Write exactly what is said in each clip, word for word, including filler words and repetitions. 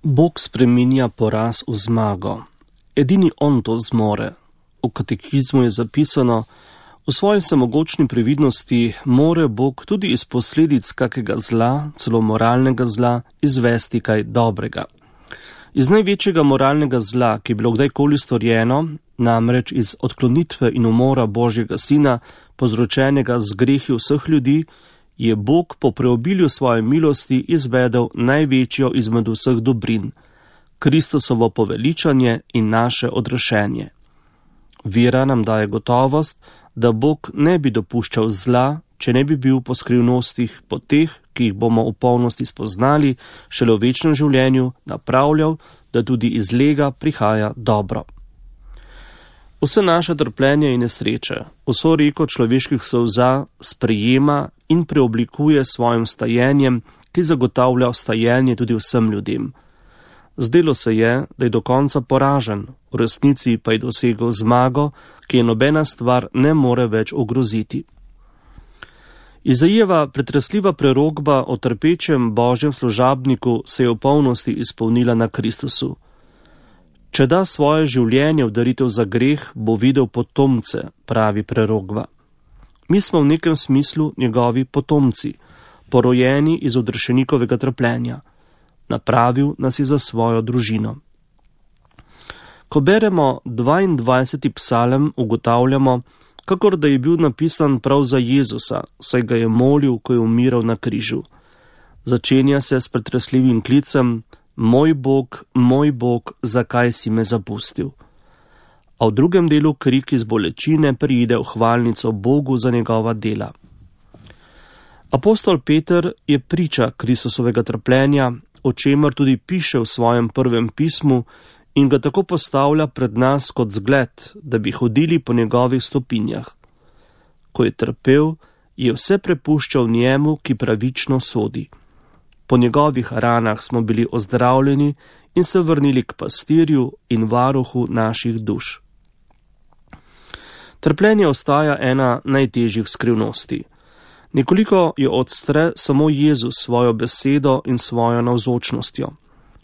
Bog spreminja poraz v zmago. Edini on to zmore. V katekizmu je zapisano: v svoji vsemogočni previdnosti more Bog tudi iz posledic kakega zla, celo moralnega zla, izvesti kaj dobrega. Iz največjega moralnega zla, ki je bilo kdajkoli storjeno, namreč iz odklonitve in umora Božjega sina, povzročenega z grehi vseh ljudi, je Bog po preobilju svoje milosti izvedel največjo izmed vseh dobrin, Kristusovo poveličanje in naše odrešenje. Vera nam daje gotovost, da Bog ne bi dopuščal zla, če ne bi bil po skrivnostih, po teh, ki jih bomo v polnosti spoznali, šele v večnem življenju napravljal, da tudi iz lega prihaja dobro. Vse naše trpljenje in nesreče, vso reko človeških solza sprejema in preoblikuje s svojim stajenjem, ki zagotavlja stajenje tudi vsem ljudem. Zdelo se je, da je do konca poražen, v resnici pa je dosegel zmago, ki je nobena stvar ne more več ogroziti. Izajeva pretresljiva prerokba o trpečem Božjem služabniku se je v polnosti izpolnila na Kristusu. Če da svoje življenje v daritev za greh, bo videl potomce, pravi prerokba. Mi smo v nekem smislu njegovi potomci, porojeni iz odrešenikovega trpljenja. Napravil nas je za svojo družino. Ko beremo dvaindvajseti psalem, ugotavljamo, kakor da je bil napisan prav za Jezusa, saj ga je molil, ko je umiral na križu. Začenja se s pretresljivim klicem: Moj Bog, moj Bog, zakaj si me zapustil? A v drugem delu krik iz bolečine preide v hvalnico Bogu za njegova dela. Apostol Peter je priča Kristusovega trpljenja, o čemer tudi piše v svojem prvem pismu in ga tako postavlja pred nas kot zgled, da bi hodili po njegovih stopinjah. Ko je trpel, je vse prepuščal njemu, ki pravično sodi. Po njegovih ranah smo bili ozdravljeni in se vrnili k pastirju in varuhu naših duš. Trpljenje ostaja ena najtežjih skrivnosti. Nekoliko jo odstre samo Jezus svojo besedo in svojo navzočnostjo.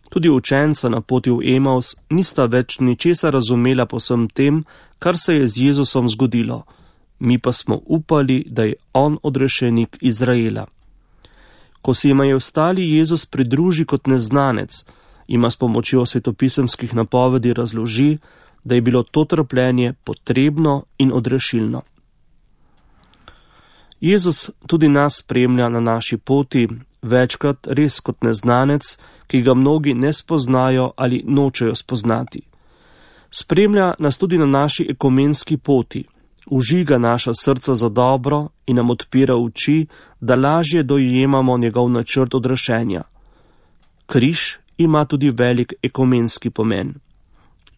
Tudi učenca na poti v Emaus nista več ničesar razumela po vsem tem, kar se je z Jezusom zgodilo. Mi pa smo upali, da je on odrešenik Izraela. Ko se jima je ostali Jezus pridruži kot neznanec, ima s pomočjo svetopisemskih napovedi razloži, da je bilo to trpljenje potrebno in odrešilno. Jezus tudi nas spremlja na naši poti, večkrat res kot neznanec, ki ga mnogi ne spoznajo ali nočejo spoznati. Spremlja nas tudi na naši ekumenski poti, užiga naša srca za dobro in nam odpira oči, da lažje dojemamo njegov načrt odrešenja. Križ ima tudi velik ekumenski pomen.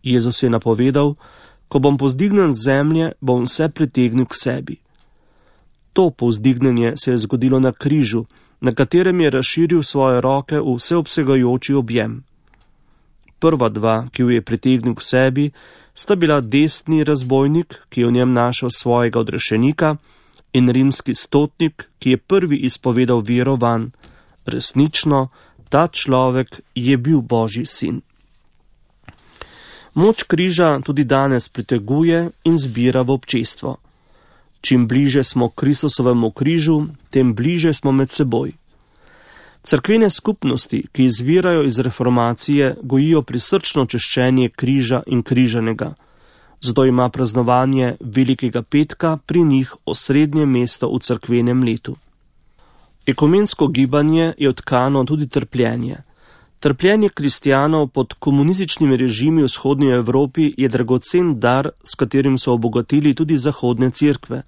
Jezus je napovedal: ko bom povzdignen z zemlje, bom vse pritegnil k sebi. To povzdignjenje se je zgodilo na križu, na katerem je razširil svoje roke v vseobsegajoči objem. Prva dva, ki jo je pritegnil k sebi, sta bila desni razbojnik, ki je v njem našel svojega odrešenika, in rimski stotnik, ki je prvi izpovedal vero vanj. Resnično, ta človek je bil Božji sin. Moč križa tudi danes priteguje in zbira v občestvo. Čim bliže smo Kristusovemu križu, tem bliže smo med seboj. Cerkvene skupnosti, ki izvirajo iz reformacije, gojijo prisrčno češčenje križa in križanega. Zato ima praznovanje Velikega petka pri njih osrednje mesto v cerkvenem letu. Ekumensko gibanje je odkano tudi trpljenje. Trpljenje kristjanov pod komunističnimi režimi v vzhodnji Evropi je dragocen dar, s katerim so obogatili tudi zahodne cerkve.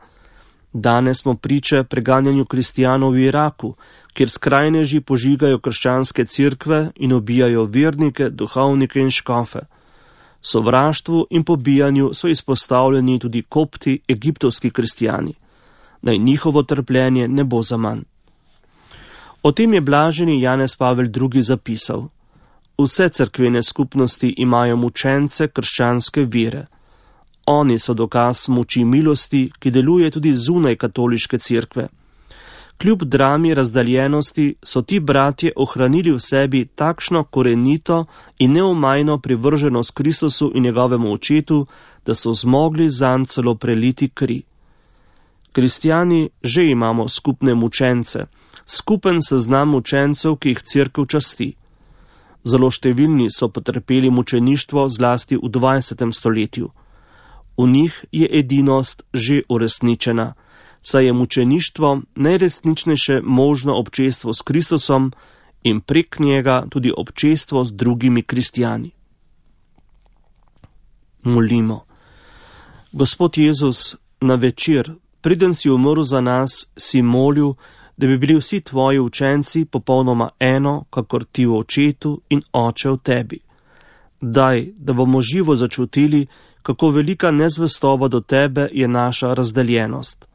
Danes smo priče preganjanju kristjanov v Iraku, kjer skrajneži požigajo krščanske cerkve in ubijajo vernike, duhovnike in škofe. Sovraštvu in pobijanju so izpostavljeni tudi kopti, egiptovski kristjani. Naj njihovo trpljenje ne bo zaman. O tem je blaženi Janez Pavel drugi. zapisal: Vse cerkvene skupnosti imajo mučence krščanske vere. Oni so dokaz moči milosti, ki deluje tudi zunaj katoliške cerkve. Kljub drami razdaljenosti so ti bratje ohranili v sebi takšno korenito in neomajno privrženost Kristusu in njegovemu očetu, da so zmogli zanj celo preliti kri. Kristjani že imamo skupne mučence, skupen seznam mučencev, ki jih cerkev časti. Zelo številni so potrpeli mučeništvo zlasti v dvajsetem stoletju. V njih je edinost že uresničena, saj je mučeništvo najresničnejše možno občestvo s Kristusom in prek njega tudi občestvo z drugimi kristjani. Molimo. Gospod Jezus, na večer, preden si umrl za nas, si molil, da bi bili vsi tvoji učenci popolnoma eno, kakor ti v očetu in oče v tebi. Daj, da bomo živo začutili, kako velika nezvestoba do tebe je naša razdeljenost.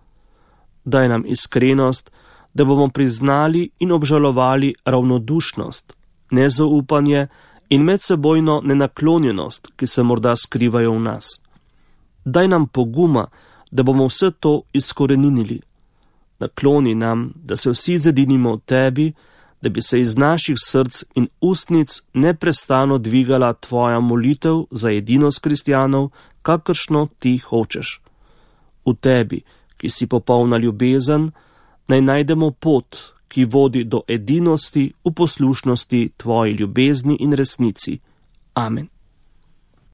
Daj nam iskrenost, da bomo priznali in obžalovali ravnodušnost, nezaupanje in medsebojno nenaklonjenost, ki se morda skrivajo v nas. Daj nam poguma, da bomo vse to izkoreninili. Nakloni nam, da se vsi zedinimo v tebi, da bi se iz naših src in ustnic neprestano dvigala tvoja molitev za edinost kristjanov, kakršno ti hočeš. V tebi, ki si popolna ljubezen, naj najdemo pot, ki vodi do edinosti v poslušnosti tvoji ljubezni in resnici. Amen.